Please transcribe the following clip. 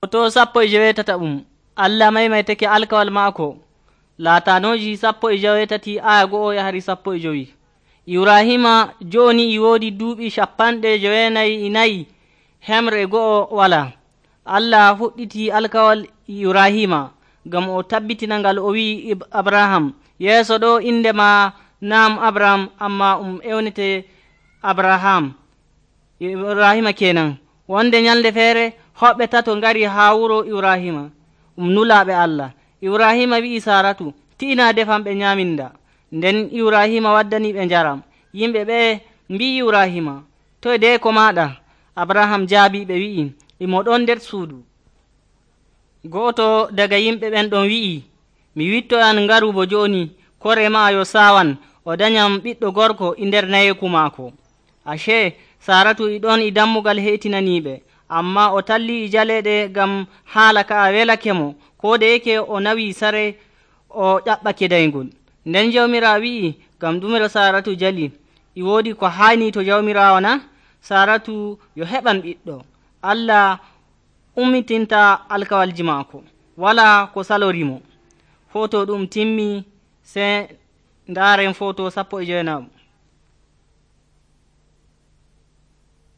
Hoto 17 Allah maimaitake alkawal maako laatanoji 17 aya 1 yahari 15. Ibrahima joni e woodi duuɓi 94 hemre 1 wala. Allah fuɗɗiti alkawal Ibrahima ngam o tabbitina ngal o wi'i Abraham, yeeso ɗo inde ma naam Abraham amma ewnete Abraham. Ibrahima kenan. Wonde nyalde feere hoɓɓe tato ngari haa wuro Ibrahima nulaaɓe Allah. Ibrahima wi'i Saratu, ti'ina defamɓe nyaminda. Nden Ibrahima waddaniɓe njaram. Yimɓe ɓe mbi'i Ibrahima, toye deeko maɗa? Abraham jaabiɓe wi'i, imo ɗon nder suudu. Go'oto daga yimɓe ɓen ɗon wi'i, mi wittoyan ngaru bo jooni, kore ma yo saawan o danyam ɓiɗɗo gorko e nder nayeeku maako. Ashe Saratu e ɗon e dammugal heetinaniiɓe, amma o talli e jaleeɗe ngam haala ka welake mo, ko deyeke o nawi sare o ƴaɓɓake daygol. Nden Jawmiraawo wi'i, ngam ɗumiro Saratu jali, e woodi ko haani to Jawmiraawo na? Saratu yo heɓan ɓiɗɗo. Allah ummitinta alkawalji maako, wala ko salorimo. Foto ɗum timmi, se ndaaren foto 19.